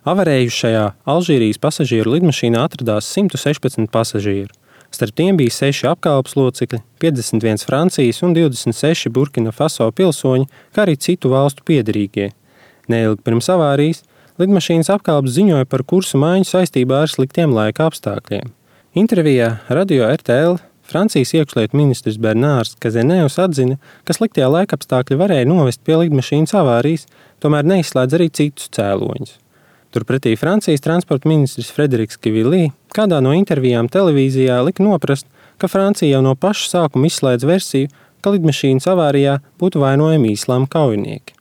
Avarējušajā Alžīrijas pasažieru lidmašīnā atradās 116 pasažieri. Starp tiem bija 6 apkalpes locekļi, 51 Francijas un 26 Burkina Faso pilsoņi, kā arī citu valstu piederīgie. Neilgi pirms avārijas lidmašīnas apkalpes ziņoja par kursu maiņu saistībā ar sliktiem laika apstākļiem. Intervijā Radio RTL Francijas iekšlietu ministrs Bernārs Kazenēvs atzina, ka sliktie laikapstākļi varēja novest pie lidmašīnas avārijas, tomēr neizslēdz arī citus cēloņus. Turpretī Francijas transporta ministrs Frederiks Kivili kādā no intervijām televīzijā lika noprast, ka Francija jau no paša sākuma izslēdz versiju, ka lidmašīnas avārijā būtu vainojami islāma kaujinieki.